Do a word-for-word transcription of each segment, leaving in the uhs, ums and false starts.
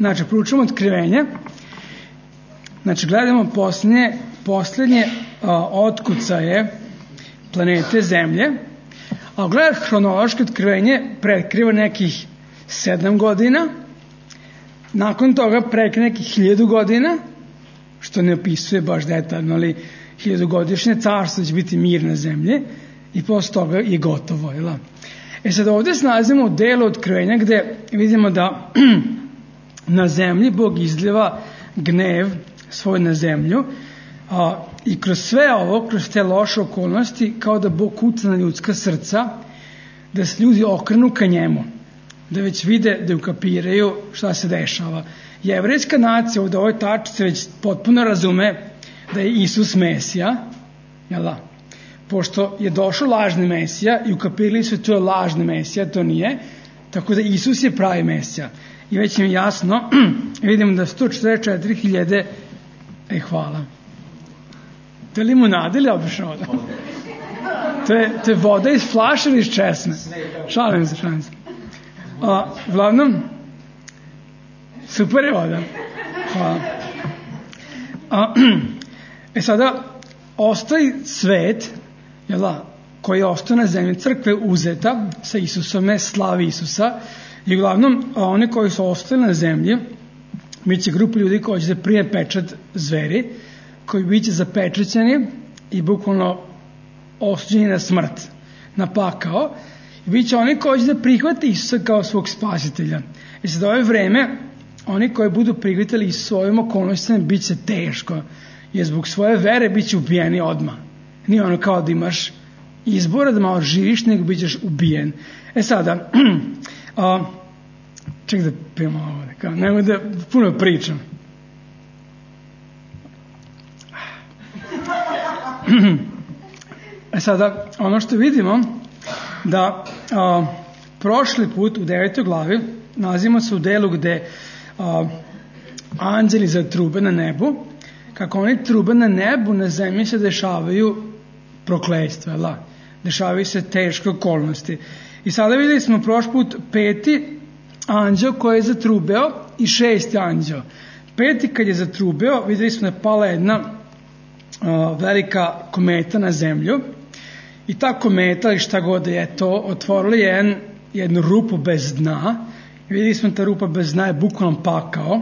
Znači, proučujemo otkrivenje. Znači, gledamo posljednje, posljednje a, otkucaje planete Zemlje. A gledaj, hronološko otkrivenje prekriva nekih sedam godina. Nakon toga prekriva nekih hiljadu godina, što ne opisuje baš detaljno, ali hiljadugodišnje carstvo će biti mir na Zemlji i posle toga je gotovo. Jel? E sad ovdje se nalazimo u delu otkrivenja gde vidimo da na Zemlji Bog izljeva gnev svoj na Zemlju, a, i kroz sve ovo, kroz te loše okolnosti, kao da Bog kuca na ljudska srca, da se ljudi okrenu ka njemu, da već vide, da ukapiraju šta se dešava. Jevrejska nacija ovdje u ovoj tačci već potpuno razume da je Isus Mesija, jel da? Pošto je došao lažni Mesija i ukapirali su to je lažni Mesija, to nije, tako da Isus je pravi Mesija. I već im jasno, vidimo da sto četrdeset četiri hiljade, e hvala. To je limunada ili obična voda? To je, to je voda iz flaša ili iz česme? Šalim se, šalim se. A, uglavnom, super je voda. Hvala. A, e sada, ostaje svet, jel da, koji je ostao na zemlji, crkve uzeta sa Isusom, slavi Isusa, i uglavnom, oni koji su ostali na zemlji, bit će grupa ljudi koji će da prije pečat zveri, koji bit će zapečećeni i bukvalno osuđeni na smrt, na pakao, i bit će oni koji će da prihvate Isusa kao svog spasitelja. I sad ove vreme, oni koji budu prihvatili i svojim okolnostima, bit će teško, jer zbog svoje vere bit će ubijeni odmah. Nije ono kao da imaš izbora da malo živiš, nego bit ćeš ubijen. E sada, a, ček da pijemo ovo, kao, nemoj da puno pričam. E sada, ono što vidimo, da a, prošli put u devetoj glavi nalazimo se u delu gde a, anđeli zatrube na nebu, kako oni trube na nebu, na zemlji se dešavaju prokletstva, la, dešavaju se teške okolnosti. I sada videli smo prošli put peti anđeo koji je zatrubeo i šesti anđeo. Peti kad je zatrubeo, videli smo da je pala jedna uh, velika kometa na zemlju i ta kometa, ili šta god je to, otvorila jedan, jednu rupu bez dna. I videli smo da ta rupa bez dna je bukvalno pakao.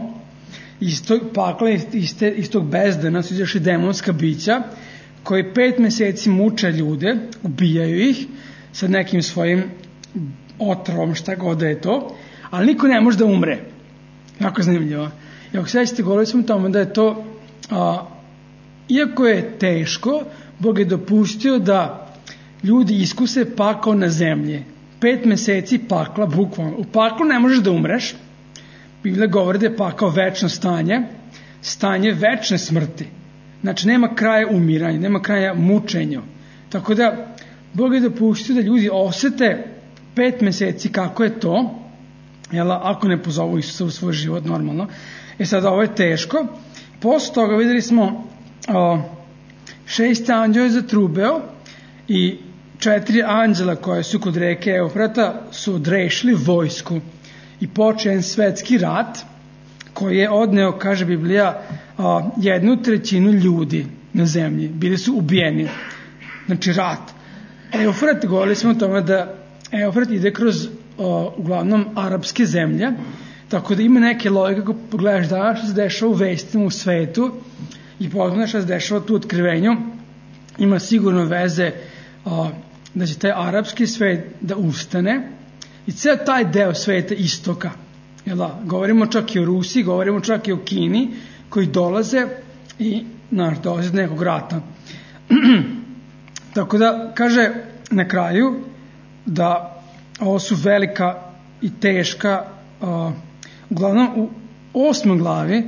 Iz tog pakla, iz, te, iz tog bezdana su izašli demonska bića koji pet meseci muče ljude, ubijaju ih sa nekim svojim otrovom, šta god da je to, ali niko ne može da umre. Jako zanimljivo. I ako sećate, govorili smo o tome da je to, a, iako je teško, Bog je dopustio da ljudi iskuse pakao na zemlji. Pet meseci pakla, bukvalno. U paklu ne možeš da umreš. Biblija govori da je pakao večno stanje, stanje večne smrti. Znači, nema kraja umiranja, nema kraja mučenja. Tako da, Bog je dopustio da ljudi osete pet meseci kako je to, jel, ako ne pozovu Isusa u svoj život normalno. E sada, ovo je teško. Posle toga videli smo o, šest anđela je zatrubeo i četiri anđela koje su kod reke Eufrata su odrešili vojsku i počeo jedan svetski rat koji je odneo, kaže Biblija, a, jednu trećinu ljudi na zemlji. Bili su ubijeni. Znači rat. Eufrat, govorili smo o tome da Eufrat ide kroz a, uglavnom arapske zemlje, tako da ima neke logike kako pogledaš danas što se dešava u vestima u svetu i pogledaš što se dešava tu u otkrivenju, ima sigurno veze a, da će taj arapski svet da ustane i ceo taj deo sveta istoka. Jela, govorimo čak i o Rusiji, govorimo čak i o Kini, koji dolaze i naš, dolaze do nekog rata. Tako da, kaže na kraju da ovo su velika i teška, uh, uglavnom u osmoj glavi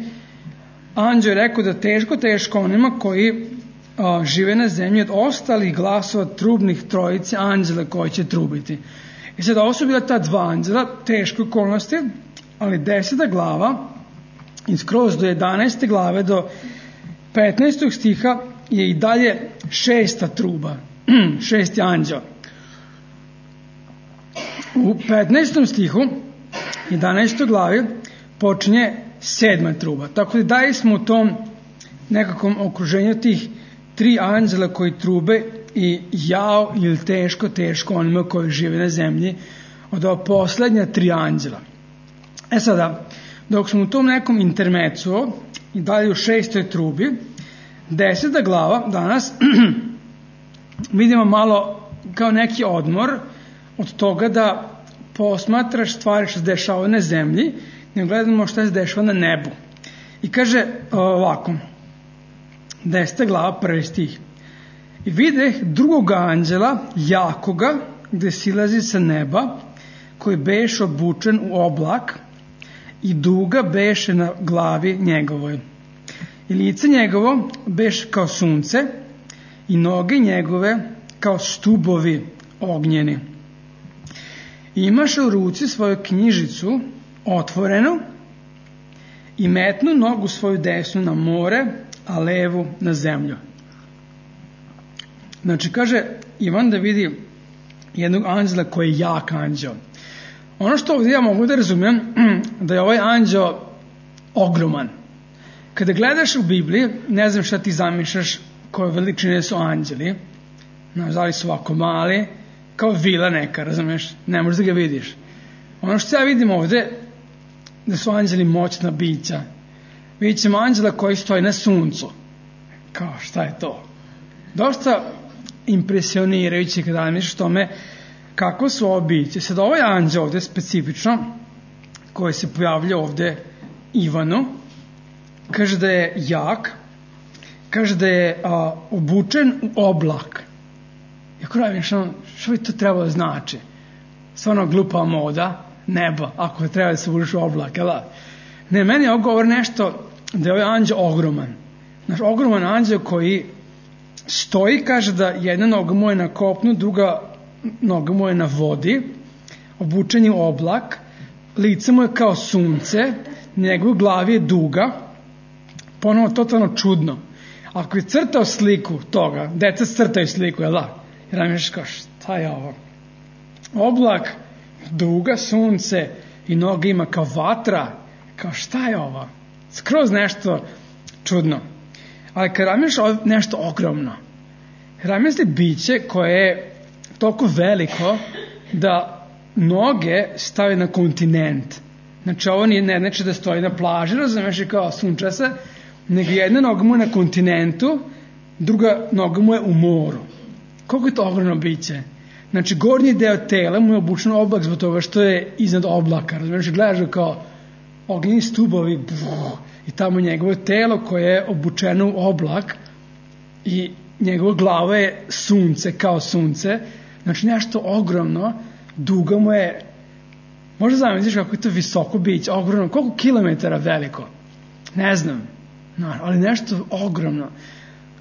anđeo je rekao da teško, teško onima koji uh, žive na zemlji od ostalih glasova trubnih trojice anđela koji će trubiti. I sad ovo su bila ta dva anđela, teške okolnosti, ali deseta glava i skroz do jedanaeste glave do petnaestog stiha je i dalje šesta truba, šesti anđeo. U petnaestom stihu, jedanaestoj glavi, počinje sedma truba. Tako da dalje smo u tom nekakvom okruženju tih tri anđela koji trube i jao ili teško, teško onima koji žive na zemlji od ova poslednja tri anđela. E sada, dok smo u tom nekom intermecu i dalje u šestoj trubi, deseta glava danas vidimo malo kao neki odmor od toga da posmatraš stvari što se dešava na zemlji, ne gledamo što se dešava na nebu. I kaže ovako, deseta glava, prvi stih. I videh drugog anđela, jakoga, gde silazi sa neba, koji beše obučen u oblak i duga beše na glavi njegovoj. I lice njegovo beše kao sunce i noge njegove kao stubovi ognjeni. I imaše u ruci svoju knjižicu otvorenu i metnu nogu svoju desnu na more, a levu na zemlju. Znači, kaže Ivan da vidi jednog anđela koji je jak anđeo. Ono što ovdje ja mogu da razumijem, da je ovaj anđeo ogroman. Kada gledaš u Bibliji, ne znam šta ti zamišljaš koje veličine su anđeli. Znaš, da li su ovako mali, kao vila neka, razumiješ? Ne možeš da ga vidiš. Ono što ja vidim ovdje, da su anđeli moćna bića. Vidjet ćemo anđela koji stoji na suncu. Kao, šta je to? Dosta impresionirajuće kada misliš tome kako su ovo biće. Sad ovaj anđel ovdje specifično, koji se pojavlja ovdje Ivanu, kaže da je jak, kaže da je a, obučen u oblak. Jako radim, što, što bi to trebalo znači? Stvarno glupa moda, neba, ako treba da se obučeš u oblak, jel da? Ne, meni je govor nešto da je ovaj anđel ogroman. Znaš, ogroman anđel koji stoji, kaže da jedna noga mu je na kopnu, druga noga mu je na vodi, obučen je u oblak, lice mu je kao sunce, njegov glavi je duga, ponovo totalno čudno. Ako je crtao sliku toga, deca crtaju sliku, jel da? Jer nam ješ kao, šta je ovo? Oblak, duga, sunce i noga ima kao vatra, kao šta je ovo? Skroz nešto čudno. Ali kad ramiš nešto ogromno, ramisli biće koje je toliko veliko da noge stavi na kontinent. Znači ovo nije ne znači da stoji na plaži, razumeš, i kao sunča se, nego jedna noga mu je na kontinentu, druga noga mu je u moru. Koliko je to ogromno biće? Znači gornji deo tela mu je obučen oblak zbog toga što je iznad oblaka, razumeš, gledaš ga kao ognjeni stubovi, brrr, i tamo njegovo telo koje je obučeno u oblak i njegova glava je sunce, kao sunce, znači nešto ogromno, duga mu je, možda zamisliš kako je to visoko biće, ogromno, koliko kilometara veliko, ne znam, no, ali nešto ogromno,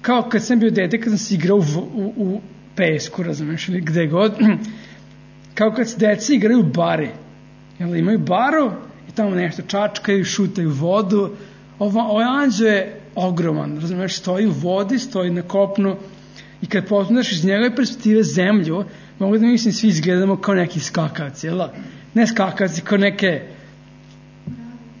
kao kad sam bio dete, kad sam se igrao u, u, u pesku, razumiješ, ili gde god, kao kad se deci igraju u bari, jel, imaju baru i tamo nešto čačkaju, šutaju vodu, Ovo, ovaj anđeo je ogroman, razumiješ, stoji u vodi, stoji na kopnu i kad posmatraš iz njegove perspektive zemlju, mogu da mislim svi izgledamo kao neki skakavci, jel? Ne skakavci, kao neke,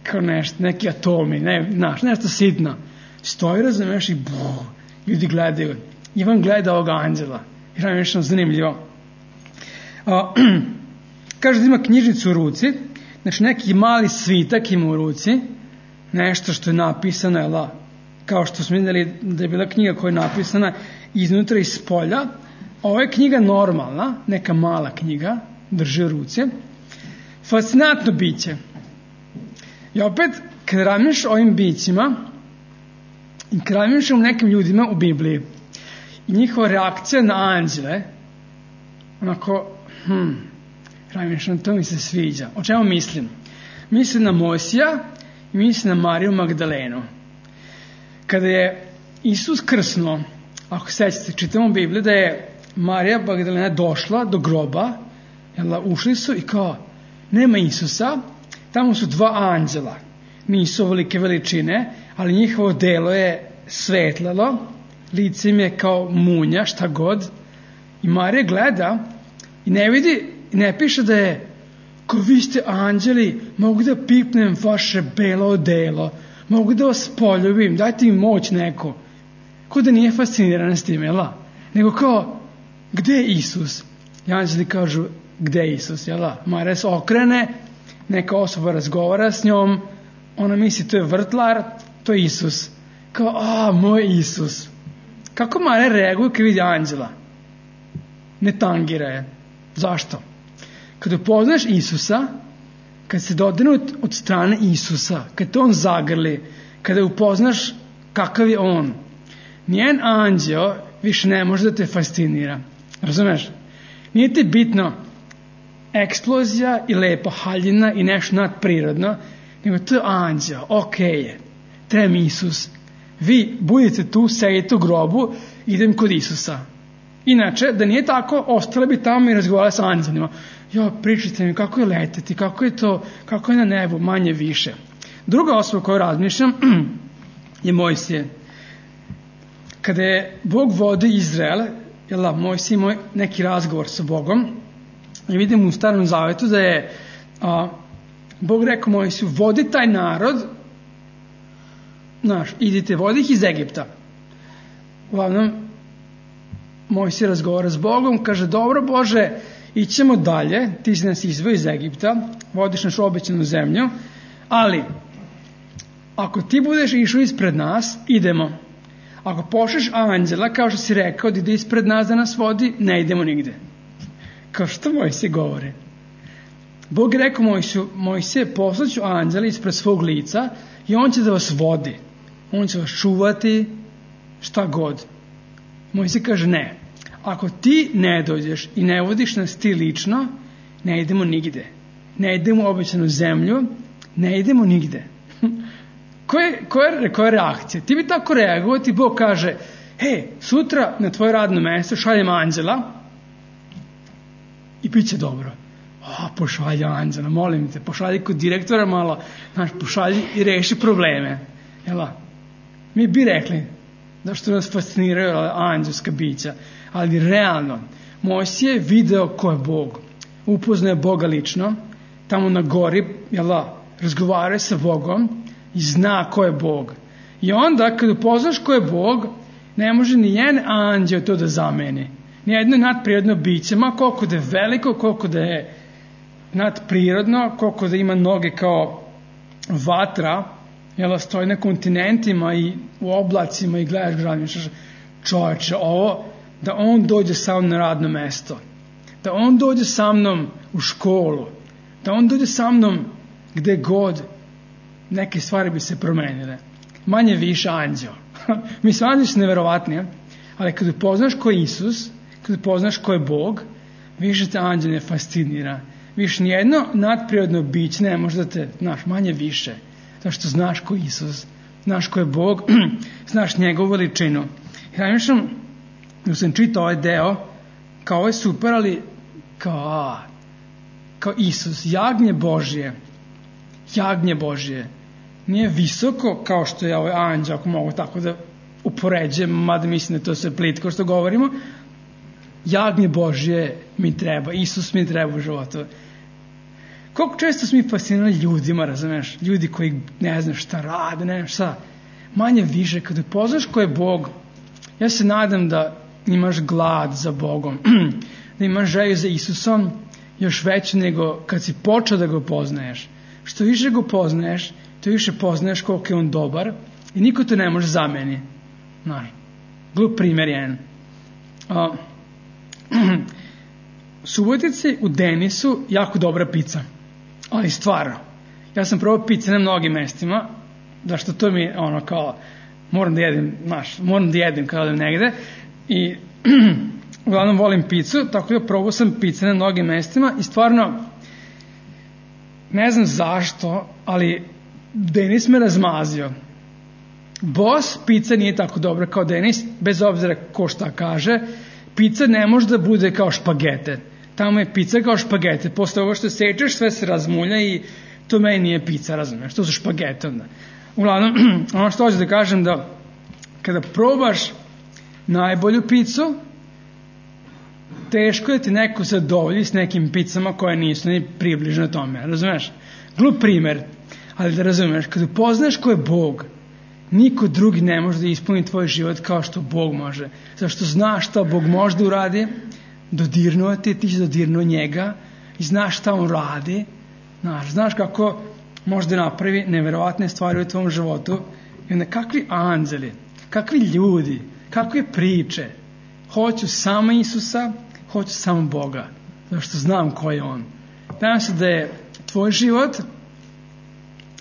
kao nešto, neki atomi, ne, znaš, nešto sitno. Stoji, razumiješ, i buh, ljudi gledaju. Ivan gleda ovog anđela, jer je nešto zanimljivo. A, kaže da ima knjižicu u ruci, znači neki mali svitak ima u ruci, nešto što je napisano, jel, kao što smo vidjeli da je bila knjiga koja je napisana iznutra i s polja. Ovo je knjiga normalna, neka mala knjiga, drži u ruci. Fascinantno biće. I opet, kad razmišljaš o ovim bićima i kad razmišljaš o nekim ljudima u Bibliji i njihova reakcija na anđele, onako, hm, razmišljam, to mi se sviđa. O čemu mislim? Mislim na Mojsija i mislim na Mariju Magdalenu. Kada je Isus krsnuo, ako sećate, čitamo u Bibliji da je Marija Magdalena došla do groba, jel, ušli su i kao, nema Isusa, tamo su dva anđela, nisu ovolike veličine, ali njihovo delo je svetlalo, lice im je kao munja, šta god, i Marija gleda i ne vidi, ne piše da je Kao vi ste anđeli, mogu da pipnem vaše belo odelo, mogu da vas poljubim, dajte mi moć neko. Ko da nije fasciniran s tim, jel? Nego kao, gde je Isus? I anđeli kažu, gde je Isus, jel? Marija se okrene, neka osoba razgovara s njom, ona misli to je vrtlar, to je Isus. Kao, a, moj Isus. Kako Marija reaguje kad vidi anđela? Ne tangira je. Zašto? Kad upoznaš Isusa, kad se dodirnut od strane Isusa, kad te on zagrli, kada upoznaš kakav je on, nijen anđeo više ne može da te fascinira. Razumeš? Nije ti bitno eksplozija i lepa haljina i nešto nadprirodno, nego to je anđeo, okej je, treba mi Isus. Vi budete tu, sedite u grobu, idem kod Isusa. Inače, da nije tako, ostale bi tamo i razgovarali sa anđelima. Jo, pričajte mi kako je leteti, kako je to, kako je na nebu, manje više. Druga osoba koju razmišljam je Mojsije. Kada je Bog vodi Izrael, jel da, Mojsije imao neki razgovor sa Bogom, i vidimo u Starom Zavetu da je a, Bog rekao Mojsiju, vodi taj narod, znaš, idite, vodi ih iz Egipta. Uglavnom, Mojsije razgovara s Bogom, kaže, dobro Bože, ićemo dalje, ti si nas izveo iz Egipta, vodiš našu obećanu zemlju, ali ako ti budeš išao ispred nas, idemo. Ako pošliš anđela, kao što si rekao, da ide ispred nas da nas vodi, ne idemo nigde. Kao što Mojsije govore. Bog je rekao Mojsiju, Mojsije, poslaću anđela ispred svog lica i on će da vas vodi. On će vas čuvati, šta god. Mojsije kaže ne. Ako ti ne dođeš i ne vodiš nas ti lično, ne idemo nigde. Ne idemo u obećanu zemlju, ne idemo nigde. Koje, koje, koje reakcije? Ti bi tako reagovao, ti Bog kaže, hej, sutra na tvoje radno mesto šaljem anđela i bit će dobro. O, pošalji anđela, molim te, pošalji kod direktora malo, znaš, pošalji i reši probleme. Jela? Mi bi rekli, da što nas fasciniraju anđelska bića, ali realno, Mojsije je video ko je Bog, upoznaje Boga lično, tamo na gori, jela, razgovaraju sa Bogom i zna ko je Bog. I onda, kad upoznaš ko je Bog, ne može ni jedan anđeo to da zameni. Nijedno nadprirodno biće, ma koliko da je veliko, koliko da je nadprirodno, koliko da ima noge kao vatra, jel, stoji na kontinentima i u oblacima i gledaš građe, čovječe, ovo, da on dođe sa mnom na radno mesto, da on dođe sa mnom u školu, da on dođe sa mnom gde god, neke stvari bi se promenile. Manje više anđeo. Mislim, anđeo su neverovatni, ali kad upoznaš ko je Isus, kad upoznaš ko je Bog, više te anđeo ne fascinira. Više nijedno nadprirodno biće ne može da te, znaš, manje više. Zato što znaš ko je Isus, znaš ko je Bog, znaš njegovu veličinu. Ja mislim, da sam čitao ovaj deo, kao ovo je super, ali kao, a, kao Isus, jagnje Božje, jagnje Božje, nije visoko kao što je ovaj anđeo, ako mogu tako da upoređujem, mada mislim da to sve plitko što govorimo, jagnje Božje mi treba, Isus mi treba u životu. Koliko često smo mi fascinirani ljudima, razumeš, ljudi koji ne znam šta rade, ne znam šta, manje više, kada upoznaš ko je Bog, ja se nadam da imaš glad za Bogom, da imaš želju za Isusom još veće nego kad si počeo da ga poznaješ. Što više ga poznaješ, to više poznaješ koliko je on dobar i niko to ne može zameni. Znaš, glup primjer jedan. Uh, Subotici u Denisu jako dobra pizza, ali stvarno, ja sam probao pizza na mnogim mestima, da što to mi ono kao, moram da jedem, znaš, moram da jedem kada odem negde i uglavnom volim pizzu, tako da probao sam pizza na mnogim mestima i stvarno, ne znam zašto, ali Denis me razmazio. Boss pizza nije tako dobra kao Denis, bez obzira ko šta kaže. Pizza ne može da bude kao špagete. Tamo je pizza kao špagete. Posle ovo što sečeš, sve se razmulja i to meni nije pizza, razumiješ? To su špagete onda. Uglavnom, ono što hoću da kažem, da, kada probaš najbolju pizzu, teško je ti neko zadovolji s nekim picama koje nisu ni približno tome, razumeš? Glup primer, ali da razumeš, kada upoznaš ko je Bog, niko drugi ne može da ispuni tvoj život kao što Bog može. Zašto znaš šta Bog može da uradi, dodirnuo ti, ti će dodirnuo njega i znaš šta on radi, znaš, znaš kako može da napravi neverovatne stvari u tvom životu i onda kakvi anđeli, kakvi ljudi, kakve priče. Hoću samo Isusa, hoću samo Boga, zašto znam ko je on. Nadam se da je tvoj život,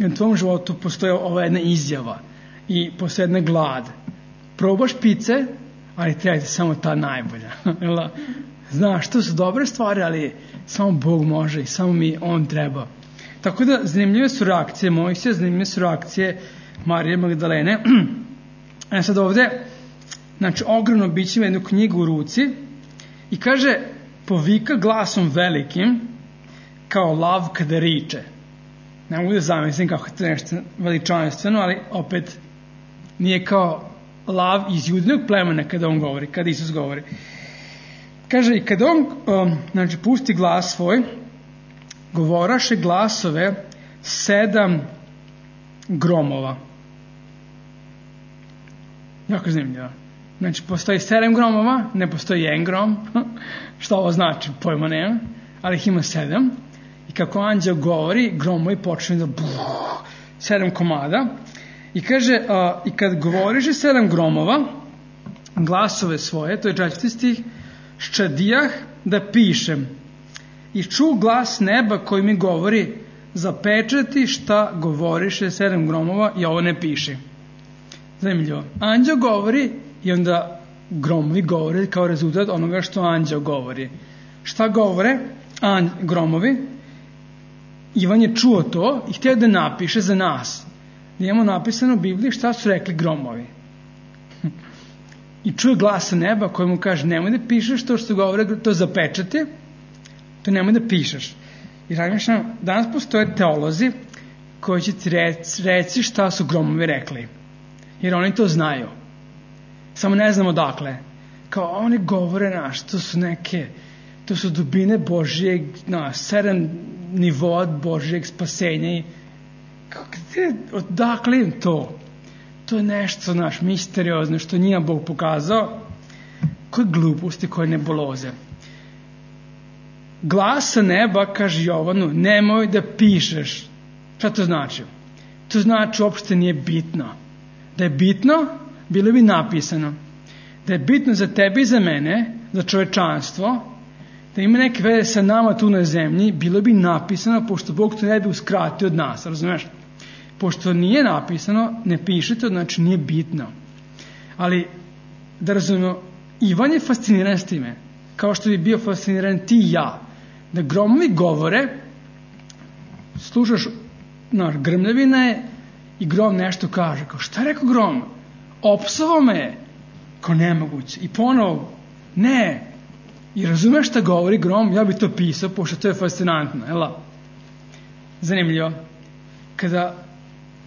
u tvom životu postoji ova jedna izjava i postoji jedna glad. Probaš pice, ali treba ti samo ta najbolja. Znaš, to su dobre stvari, ali samo Bog može i samo mi on treba. Tako da zanimljive su reakcije Mojsija, zanimljive su reakcije Marije Magdalene. E sad ovde, znači ogromno biće ima jednu knjigu u ruci i kaže, povika glasom velikim kao lav kada riče. Ne mogu da zamislim kako je to nešto veličanstveno, ali opet nije kao lav iz judinog plemena kada on govori, kada Isus govori. Kaže, i kada on um, znači, pusti glas svoj, govoraše glasove sedam gromova. Jako zanimljivo. Znači, postoji sedam gromova, ne postoji jedan grom. Šta ovo znači? Pojma nema. Ali ih ima sedam. I kako anđeo govori, gromovi počne da buh, sedam komada. I kaže, uh, i kad govoriše sedam gromova, glasove svoje, to je četvrti stih, ščadijah da pišem. I ču glas neba koji mi govori, zapečati šta govoriše sedam gromova i ovo ne piše. Zanimljivo. Anđeo govori i onda gromovi govore kao rezultat onoga što anđeo govori. Šta govore anđ, gromovi? Ivan je čuo to i htio da napiše za nas. Imamo napisano u Bibliji šta su rekli gromovi. I čuje glasa neba koji mu kaže, nemoj da pišeš to što govore, to zapečati, to nemoj da pišeš. I razmišljam, danas postoje teolozi koji će ti reci, reci šta su gromovi rekli. Jer oni to znaju. Samo ne znamo dakle. Kao oni govore naš, to su neke, to su dubine Božijeg, na, sedam nivoa Božijeg spasenja i gde, odakle im to? To je nešto, naš, misteriozno, što nije Bog pokazao. Koje gluposti, koje nebuloze. Glas sa neba, kaže Jovanu, nemoj da pišeš. Šta to znači? To znači uopšte nije bitno. Da je bitno, bilo bi napisano. Da je bitno za tebe i za mene, za čovečanstvo, da ima neke veze sa nama tu na zemlji, bilo bi napisano, pošto Bog to ne bi uskratio od nas, razumeš? Pošto nije napisano, ne pišete, znači nije bitno. Ali, da razumemo, Ivan je fasciniran s time, kao što bi bio fasciniran ti i ja. Da gromovi govore, slušaš, znaš, grmljavina je i grom nešto kaže. Kao, šta je rekao grom? Opsovao me je. Kao, nemoguće. I ponovo, ne. I razumeš šta govori grom? Ja bi to pisao, pošto to je fascinantno. Jel? Zanimljivo. Kada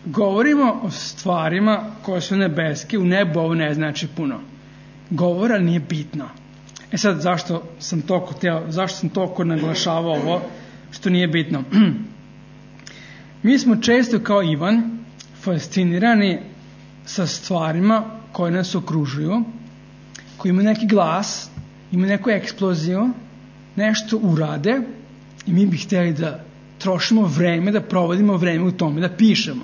govorimo o stvarima koje su nebeske, u nebu ovo ne znači puno. Govora nije bitno. E sad, zašto sam toliko teo, zašto sam toliko naglašavao ovo, što nije bitno? Mi smo često kao Ivan fascinirani sa stvarima koje nas okružuju, koji imaju neki glas, imaju neku eksploziju, nešto urade i mi bi htjeli da trošimo vreme, da provodimo vreme u tome, da pišemo.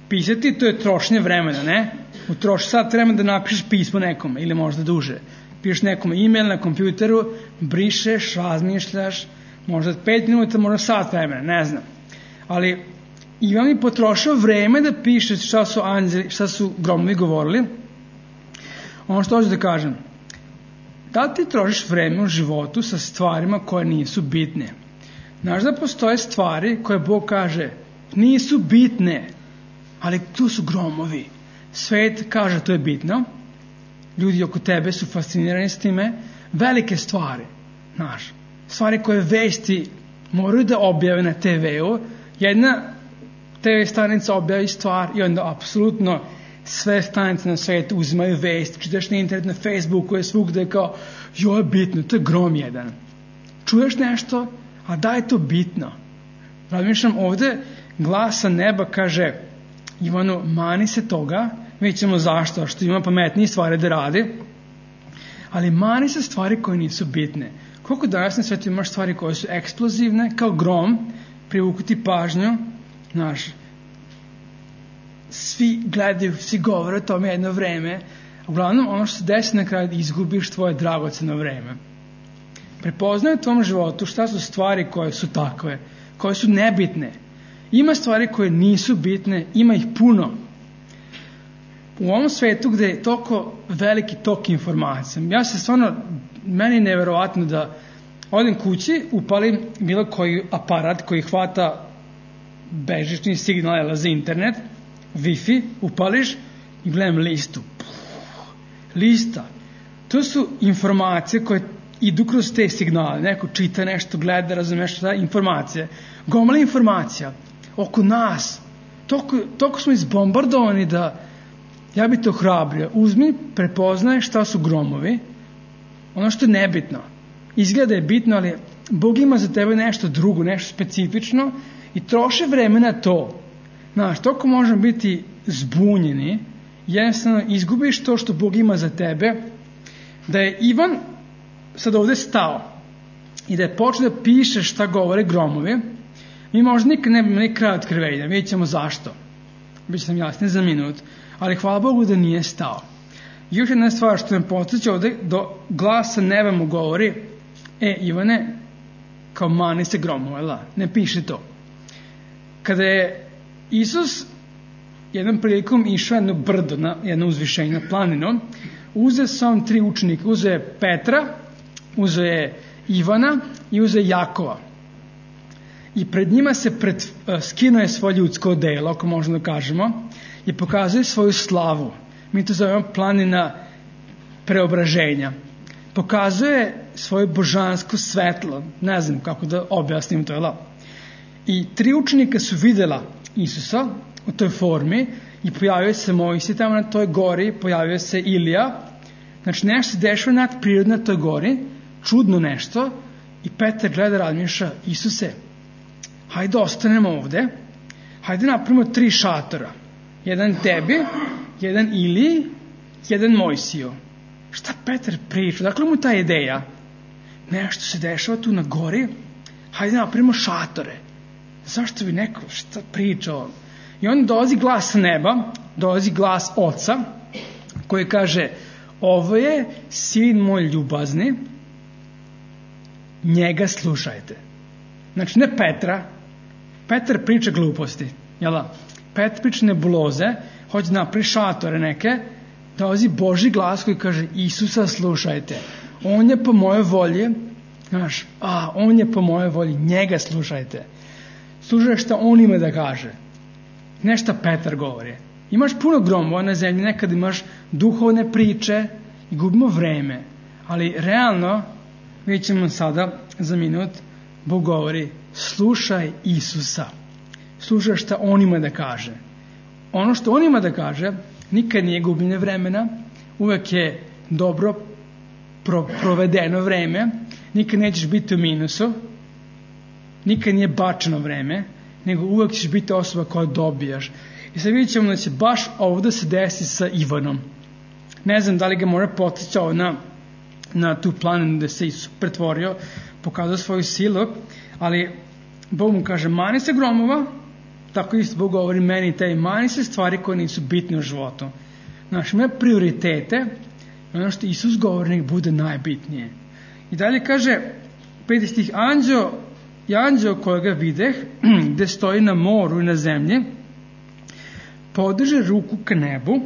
Pisati, to je trošenje vremena, ne? U troši sat vremena da napišeš pismo nekome ili možda duže. Pišeš nekome e-mail na kompjuteru, brišeš, razmišljaš, možda pet minuta, možda sat vremena, ne znam. Ali Ivan mi potrošao vreme da piše šta su anđeli, šta su gromovi govorili. Ono što hoću da kažem, da li ti trošiš vreme u životu sa stvarima koje nisu bitne? Znaš da postoje stvari koje Bog kaže nisu bitne, ali tu su gromovi. Svet kaže to je bitno. Ljudi oko tebe su fascinirani s time. Velike stvari, znaš, stvari koje vesti moraju da objave na te veu. Jedna te ve stanica objavi stvar i onda apsolutno sve stanice na svetu uzimaju vest, čitaš na internet, na Facebooku je svugde kao, jo je bitno, to je grom jedan. Čuješ nešto, a da je to bitno. Razmišljam, ovde glas sa neba kaže Ivanu, mani se toga, vidjet ćemo zašto, što ima pametnije stvari da radi, ali mani se stvari koje nisu bitne. Koliko danas na svetu imaš stvari koje su eksplozivne, kao grom, privuku ti pažnju, znaš, svi gledaju, svi govore o tome jedno vreme, uglavnom ono što se desi na kraju izgubiš tvoje dragoceno vreme. Prepoznaj u tom životu šta su stvari koje su takve, koje su nebitne. Ima stvari koje nisu bitne, ima ih puno. U ovom svetu gde je toliko veliki tok informacija, ja se stvarno, meni je neverovatno da odem kući, upalim bilo koji aparat koji hvata bežični signal za internet, Wi-Fi, upališ i gledam listu. Lista. To su informacije koje idu kroz te signale. Neko čita nešto, gleda, razumeš šta, informacije. Gomala informacija oko nas. Toliko, toliko smo izbombardovani da ja bi to hrabrio. Uzmi, prepoznaj šta su gromovi. Ono što je nebitno. Izgleda je bitno, ali Bog ima za tebe nešto drugo, nešto specifično i troši vreme na to. Znaš, toliko možemo biti zbunjeni, jednostavno izgubiš to što Bog ima za tebe, da je Ivan sad ovde stao i da je počeo da piše šta govore gromovi, mi možda nikad ne bi imali kraj otkrivenja, vidjet ćemo zašto. Biće sam jasni za minut, ali hvala Bogu da nije stao. I još jedna stvar što me podsjeća ovde, do glasa neba mu govori, e Ivane, kao mani se gromova, ne piše to. Kada je Isus jednom prilikom išao jedno brdo, na jedno uzvišenje, na planinu, uzeo sam tri učenika, uzeo je Petra, uzeo je Ivana i uzeo je Jakova. I pred njima se pred, skinuo je svoje ljudsko odelo, ako možemo da kažemo, i pokazuje svoju slavu. Mi to zovemo planina preobraženja. Pokazuje svoje božansko svetlo, ne znam kako da objasnim to, jel? I tri učenika su videla Isusa u toj formi i pojavio se Mojsije tamo na toj gori, pojavio se Ilija. Znači nešto se dešava nadprirodno na toj gori, čudno nešto, i Petar gleda, razmišlja, Isuse, hajde ostanemo ovde, hajde napravimo tri šatora. Jedan tebi, jedan Iliji, jedan Mojsiju. Šta Petar priča? Dakle mu ta ideja? Nešto se dešava tu na gori, hajde napravimo šatore. Zašto bi neko šta priča on? I onda dolazi glas sa neba, dolazi glas oca, koji kaže, ovo je sin moj ljubazni, njega slušajte. Znači ne Petra, Petar priča gluposti, jel da? Petar priča nebuloze, hoće napravi šatore neke, dolazi Božji glas koji kaže, Isusa slušajte, on je po moje volji, znaš, a on je po moje volji, njega slušajte. Slušaj šta on ima da kaže. Nešto Petar govori. Imaš puno gromova na zemlji, nekad imaš duhovne priče i gubimo vreme. Ali realno, vidjet ćemo sada za minut, Bog govori, slušaj Isusa. Slušaj šta on ima da kaže. Ono što on ima da kaže, nikad nije gubljenje vremena, uvek je dobro pro, provedeno vreme, nikad nećeš biti u minusu, nikad nije bačeno vreme, nego uvek ćeš biti osoba koja dobijaš. I sad vidjet ćemo da će baš ovdje se desi sa Ivanom. Ne znam da li ga mora podsjećao na, na tu planinu gde se Isus pretvorio, pokazao svoju silu, ali Bog mu kaže, mani se gromova, tako isto Bog govori meni te, mani se stvari koje nisu bitne u životu. Znaš, ima prioritete, ono što Isus govori nek bude najbitnije. I dalje kaže, peti stih, anđeo i anđeo kojega videh, gde stoji na moru i na zemlji, podiže ruku k nebu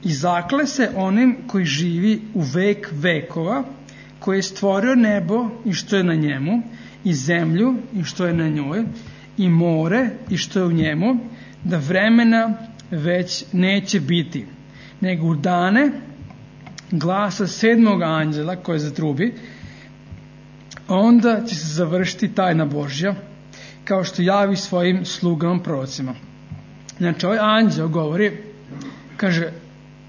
i zakle se onim koji živi u vek vekova, koji je stvorio nebo i što je na njemu, i zemlju i što je na njoj, i more i što je u njemu, da vremena već neće biti, nego u dane glasa sedmog anđela koje zatrubi, onda će se završiti tajna Božja, kao što javi svojim slugama prorocima. Znači, ovaj anđel govori kaže,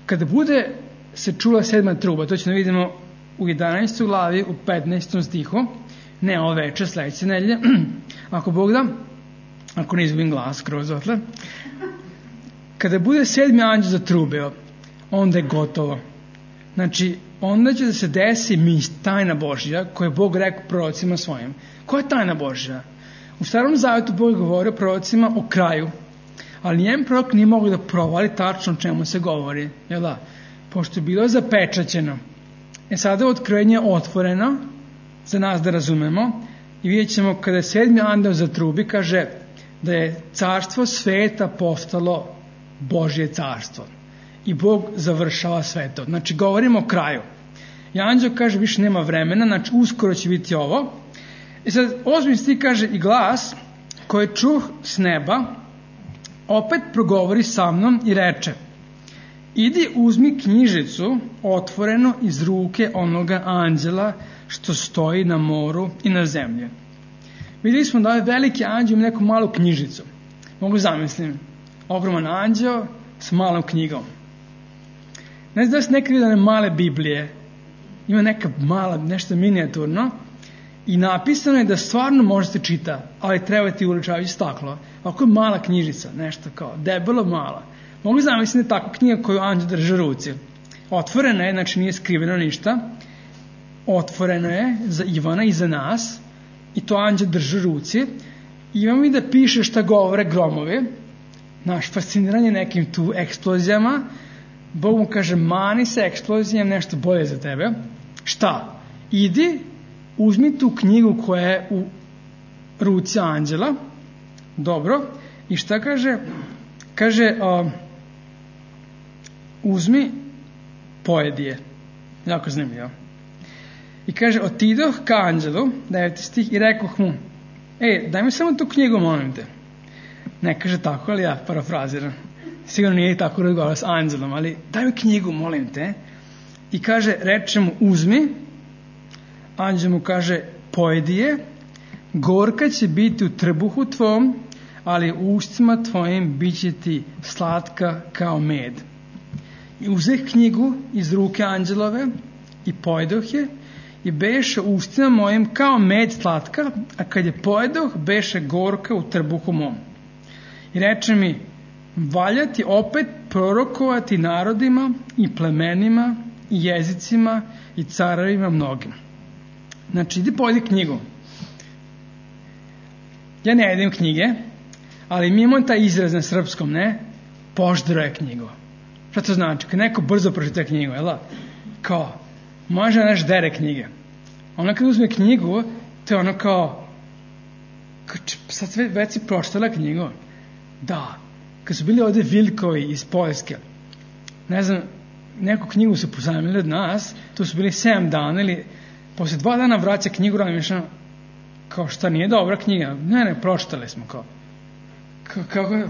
kada bude se čula sedma truba, to ćemo vidimo u jedanaestoj glavi, u petnaestom stihu, ne ovo večer, sledeće nedelje, ako Bog da, ako ne izgubim glas kroz otle, kada bude sedmi anđeo zatrubeo, onda je gotovo. Znači, onda će da se desi mis, tajna Božja, koju je Bog rekao prorocima svojim. Koja je tajna Božja? U Starom Zavetu Bog je govorio prorocima o kraju, ali nijedan prorok nije mogao da provali tačno o čemu se govori. Jel da? Pošto je bilo zapečaćeno. E sada je otkrivenje otvoreno za nas da razumemo i vidjet ćemo kada je sedmi anđeo zatrubi, kaže da je carstvo sveta postalo Božje carstvo. I Bog završava sve to. Znači, govorimo o kraju. I anđeo kaže, više nema vremena, znači uskoro će biti ovo. I sad, osmi stih kaže, i glas koji čuh s neba opet progovori sa mnom i reče, idi uzmi knjižicu otvoreno iz ruke onoga anđela što stoji na moru i na zemlji. Vidjeli smo da ovaj veliki anđeo ima neku malu knjižicu. Mogu zamislim, ogroman anđeo s malom knjigom. Ne znam da se nekad vidane male Biblije, ima neka mala, nešto minijaturno i napisano je da stvarno možete čita, ali treba ti uličavajući staklo. Ovako je mala knjižica, nešto kao, debelo mala. Mogu zamisliti da je takva knjiga koju anđeo drži u ruci. Otvorena je, znači nije skriveno ništa, otvoreno je za Ivana i za nas i to anđeo drži u ruci. I imamo i da piše šta govore gromovi, naš fasciniranje nekim tu eksplozijama. Bog mu kaže, mani se eksplozijom, nešto bolje za tebe. Šta? Idi, uzmi tu knjigu koja je u ruci anđela. Dobro. I šta kaže? Kaže, uh, uzmi, pojedi je. Jako zanimljivo. I kaže, otidoh ka anđelu, deveti stih, i rekoh mu, e, daj mi samo tu knjigu, molim te. Ne kaže tako, ali ja parafraziram. Sigurno nije tako razgovarao s anđelom, ali daj mi knjigu, molim te. I kaže, reče mu, uzmi. Anđel mu kaže, pojedi je. Gorka će biti u trbuhu tvom, ali u ustima tvojim bit će ti slatka kao med. I uzeh knjigu iz ruke anđelove i pojedoh je i beše u ustima mojim kao med slatka, a kad je pojedoh, beše gorka u trbuhu mom. I reče mi, valja ti opet prorokovati narodima i plemenima i jezicima i carevima mnogim. Znači, idi pojedi knjigu. Ja ne jedem knjige, ali mi imamo taj izraz na srpskom, ne? Poždroje knjigu. Šta to znači? Kad neko brzo pročita knjigu, jel da? Kao, može neš dere knjige. Ona kad uzme knjigu, to je ono kao, sad već si pročitala knjigu. Da. Kad su bili ovde Vilkovi iz Poljske, ne znam, neku knjigu su pozajmili od nas, to su bili sedam dana ili posle dva dana vraća knjigu, rano mišljeno, kao šta nije dobra knjiga, ne, ne, pročitali smo, kao, kao, kao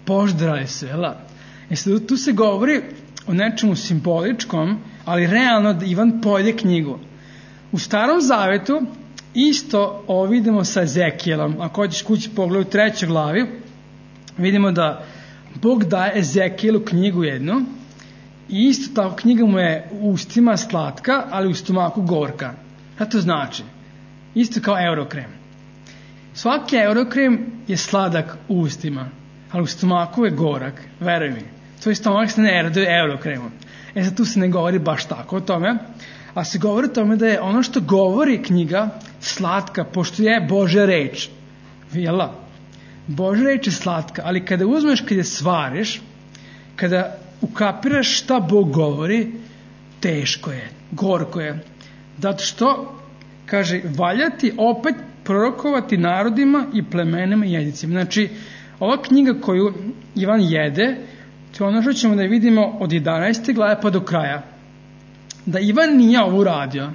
poždrali se, jel da? E sad, tu se govori o nečemu simboličkom, ali realno da Ivan pojede knjigu. U Starom Zavetu isto ovo vidimo sa Ezekijelom, ako hoćeš kući pogled u trećoj glavi, vidimo da Bog daje Ezekijelu knjigu jednu i isto tako knjiga mu je u ustima slatka, ali u stomaku gorka. Šta to znači? Isto kao eurokrem. Svaki eurokrem je sladak u ustima, ali u stomaku je gorak, veruj mi. Tvoj stomak se ne raduje eurokremom. E sad tu se ne govori baš tako o tome, a se govori o tome da je ono što govori knjiga slatka, pošto je Božja reč. Vijela? Božja reč je slatka, ali kada uzmeš, kada je svariš, kada ukapiraš šta Bog govori, teško je, gorko je. Zato što, kaže, valja ti opet prorokovati narodima i plemenima i jezicima. Znači, ova knjiga koju Ivan jede, to je ono što ćemo da vidimo od jedanaeste glave pa do kraja. Da Ivan nije ovo uradio,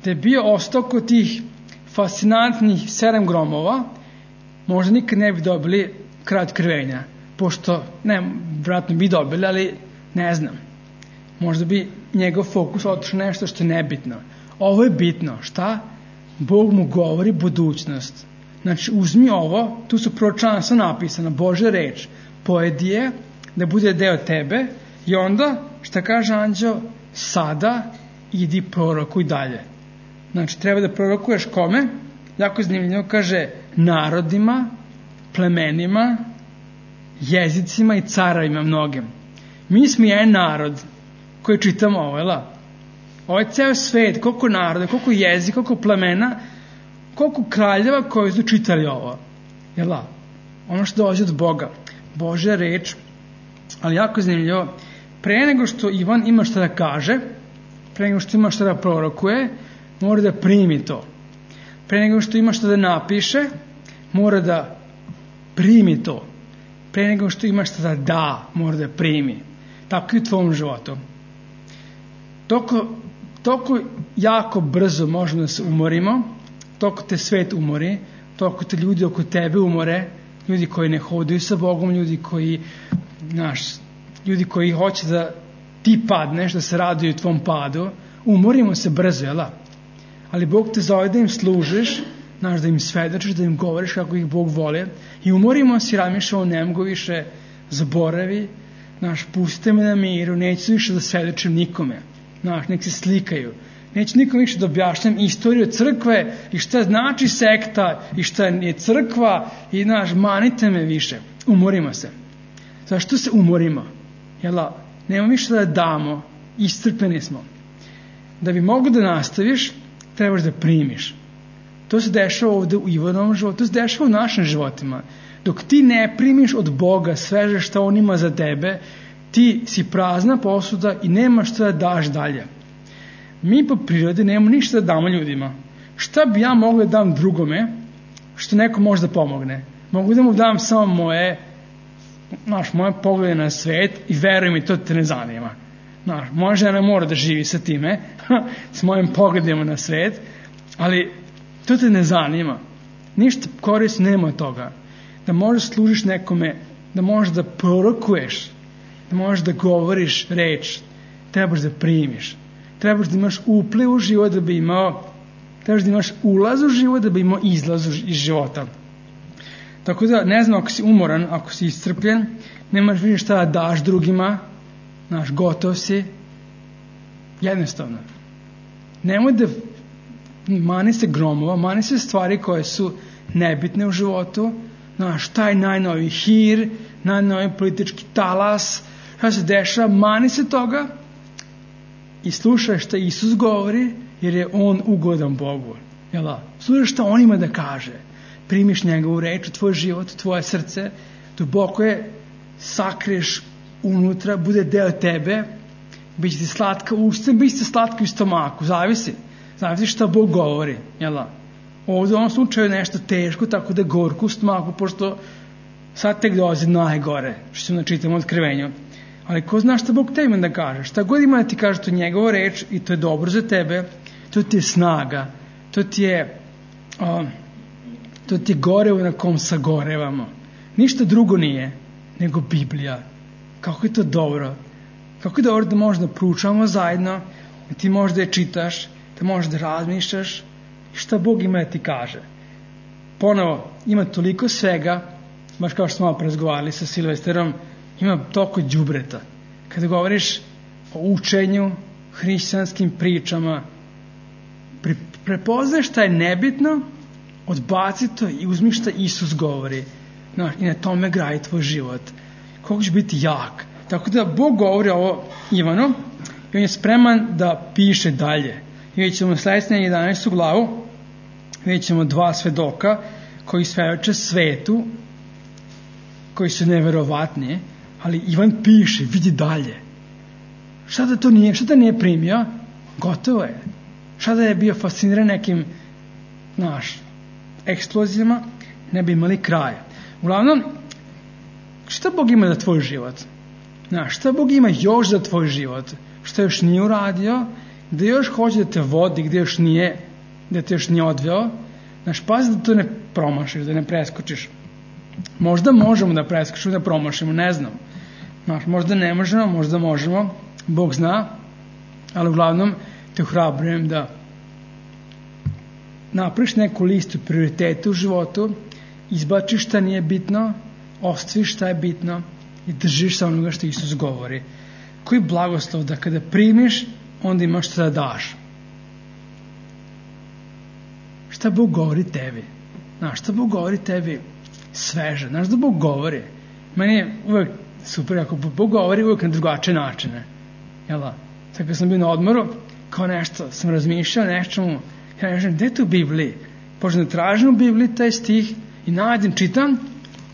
da je bio ostao kod tih fascinantnih sedam gromova, možda nikad ne bi dobili kraj otkrivenja, pošto, ne, vratno bi dobili, ali ne znam. Možda bi njegov fokus otišao nešto što je nebitno. Ovo je bitno. Šta? Bog mu govori budućnost. Znači, uzmi ovo, tu su proročanstva napisana, Božja reč, pojedi je, da bude deo tebe I onda, šta kaže anđeo, sada idi prorokuj dalje. Znači, treba da prorokuješ kome? Jako zanimljivo, kaže, narodima, plemenima, jezicima i caravima mnogim. Mi smo jedan narod koji čitamo ovo, jel? Ovo je ceo svet, koliko naroda, koliko jezika, koliko plemena, koliko kraljeva koji su čitali ovo. Jel? Ono što dolazi od Boga. Božja reč, ali jako zanimljivo, pre nego što Ivan ima šta da kaže, pre nego što ima šta da prorokuje, mora da primi to. Pre nego što ima šta da napiše, mora da primi to. Pre nego što ima šta da da, mora da primi. Tako i u tvom životu. Toko, toko jako brzo možemo da se umorimo, toko te svet umori, toko te ljudi oko tebe umore, ljudi koji ne hodaju sa Bogom, ljudi koji, znaš, ljudi koji hoće da ti padneš, da se raduju u tvom padu, umorimo se brzo, jel? Ali Bog te zove da im služiš, znaš, da im svedočiš, da im govoriš kako ih Bog voli, i umorimo se i razmišljamo, ne mogu više, zaboravi, znaš, pustite me na miru, neću više da svedočim nikome, znaš, nek se slikaju, neću nikom više da objašnjam istoriju crkve i šta znači sekta i šta je crkva i, znaš, manite me više. Umorimo se. Zašto se umorimo? Jel, nema više da damo, iscrpeni smo. Da bi mogo da nastaviš, trebaš da primiš. To se dešava ovde u Ivanovom životu, to se dešava u našim životima. Dok ti ne primiš od Boga sve šta On ima za tebe, ti si prazna posuda i nemaš šta da daš dalje. Mi po prirodi nemamo ništa da damo ljudima. Šta bi ja mogla da dam drugome što neko može da pomogne? Mogu da mu dam samo moje, znaš, moje poglede na svet i veruj mi, to te ne zanima. Znaš, moja žena mora da živi sa time, s mojim pogledima na svet, ali to te ne zanima. Ništa korist nema od toga. Da možeš služiš nekome, da možeš da prorokuješ, da možeš da govoriš reč, trebaš da primiš. Trebaš da imaš upliv u život da bi imao, trebaš da imaš ulaz u život da bi imao izlaz iz života. Tako da, ne znam, ako si umoran, ako si iscrpljen, nemaš više šta da daš drugima, znaš, gotov si, jednostavno. Nemoj da mani se gromova, mani se stvari koje su nebitne u životu, znaš, taj najnoviji hir, najnoviji politički talas, šta se dešava, mani se toga i slušaj šta Isus govori, jer je On ugodan Bogu. Jel? Slušaj šta On ima da kaže. Primiš njegovu reč u tvoj život, u tvoje srce, duboko je sakriješ unutra, bude deo tebe, bit će ti slatka u usta, bit će ti slatka u stomaku, zavisi. Zavisi šta Bog govori. Jel? Ovdje u ovom slučaju je nešto teško, tako da je gorko u stomaku, pošto sad tek dolazi najgore, što ćemo da čitamo otkrivenju. Ali ko zna šta Bog te ima da kaže? Šta god ima da ti kaže, to je njegova reč i to je dobro za tebe, to ti je snaga, to ti je, uh, to ti je gorevo na kom sagorevamo. Ništa drugo nije, nego Biblija. Kako je to dobro? Kako je dobro da možda proučavamo zajedno, da ti možda je čitaš, da možeš da razmišljaš i šta Bog ima da ti kaže. Ponovo, ima toliko svega, baš kao što smo malo razgovarali sa Silvesterom, ima toliko đubreta. Kada govoriš o učenju, hrišćanskim pričama, pre, prepoznaš šta je nebitno, odbaci to i uzmi šta Isus govori. No, i na tome gradi tvoj život. Kako će biti jak. Tako da Bog govori ovo Ivanu i on je spreman da piše dalje. I vidjet ćemo sledeću jedanaestu glavu, vidjet ćemo dva svedoka koji svedoče svetu, koji su neverovatni, ali Ivan piše, vidi dalje. Šta da to nije, šta da nije primio? Gotovo je. Šta da je bio fasciniran nekim, znaš, eksplozijama, ne bi imali kraja. Uglavnom, šta Bog ima za tvoj život? Znaš, šta Bog ima još za tvoj život? Šta još nije uradio? Gde još hoće da te vodi, gde još nije, da te još nije odveo? Znaš, pazi da to ne promašiš, da ne preskočiš. Možda možemo da preskočimo, da promašimo, ne znam. Znaš, možda ne možemo, možda možemo, Bog zna, ali uglavnom te ohrabrujem da napraviš neku listu prioriteta u životu, izbačiš šta nije bitno, ostaviš šta je bitno i držiš sa onoga što Isus govori. koji blagoslov da kada primiš, onda imaš šta da daš. Šta Bog govori tebi? Znaš, šta Bog govori tebi sveže? Znaš da Bog govori? Meni je uvek super, ako Bog govori uvek na drugačije načine. Jel da? Sad kad sam bio na odmoru, kao nešto, sam razmišljao nečemu, ja kažem, gde je to u Bibliji? Počnem da tražim u Bibliji taj stih i nađem, čitam,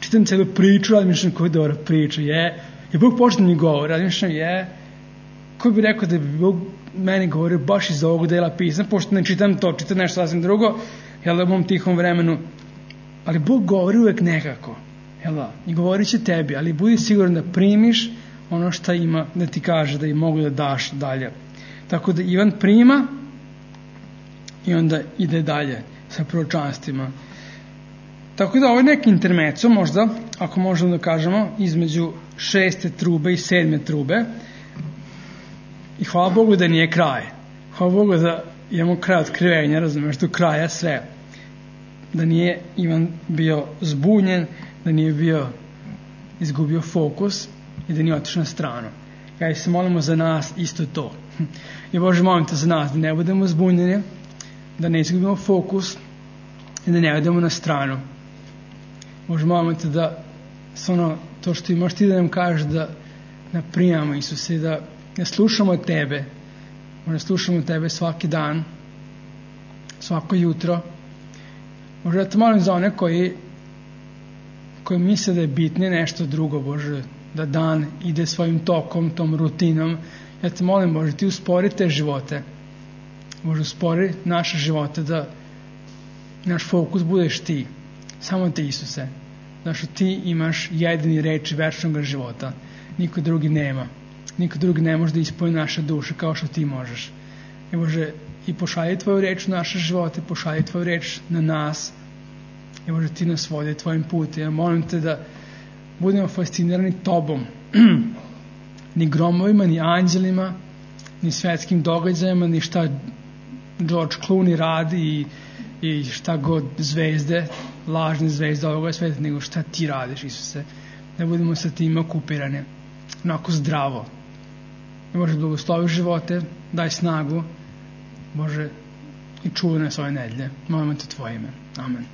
čitam celu priču, razmišljam koja je dobra priča, je, je Bog počne mi govori, razmišljam, je, ko bi rekao da bi Bog meni govorio baš iz ovog dela pisma, pošto ne čitam to, čitam nešto sasvim drugo, jel da, u mom tihom vremenu, ali Bog govori uvek nekako, jel da, i govorit će tebi, ali budi siguran da primiš ono što ima da ti kaže, da i mogu da daš dalje. Tako da Ivan prima i onda ide dalje sa proročanstvima. Tako da ovo je neki intermeco možda, ako možemo da kažemo, između šeste trube i sedme trube. I hvala Bogu da nije kraj. Hvala Bogu da imamo kraj otkrivenja, razumeš, do kraja sve. Da nije Ivan bio zbunjen, da nije bio izgubio fokus i da nije otišao na stranu. Ja se molimo za nas isto to. I Bože, molim te za nas da ne budemo zbunjeni, da ne izgubimo fokus i da ne odemo na stranu. Bože, molim te da ono, to što imaš ti da nam kažeš, da, da primamo Isuse, da, da slušamo tebe, da slušamo tebe svaki dan, svako jutro. Bože, da te molim za one koji, koji misle da je bitnije nešto drugo, Bože, da dan ide svojim tokom, tom rutinom. Ja te molim, Bože, ti uspori te živote. Bože, uspori naše živote, da naš fokus budeš ti. Samo ti, Isuse. Znaš, ti imaš jedini reč večnog života. Niko drugi nema. Niko drugi ne može da ispuni naše duše kao što ti možeš. I Bože, i pošalji tvoju reč u naše živote, pošalji tvoju reč na nas. I Bože, ti nas vodi tvojim putem. Ja molim te da budemo fascinirani tobom. Ni gromovima, ni anđelima, ni svetskim događajima, ni šta George Clooney radi i, i šta god zvezde, lažne zvezde ovoga sveta, nego šta ti radiš, Isuse. Da budemo sa tim okupirane, onako zdravo. Bože, blagoslovi živote, daj snagu, Bože, i čuvaj nas ove nedelje. Molimo te tvoje ime. Amen.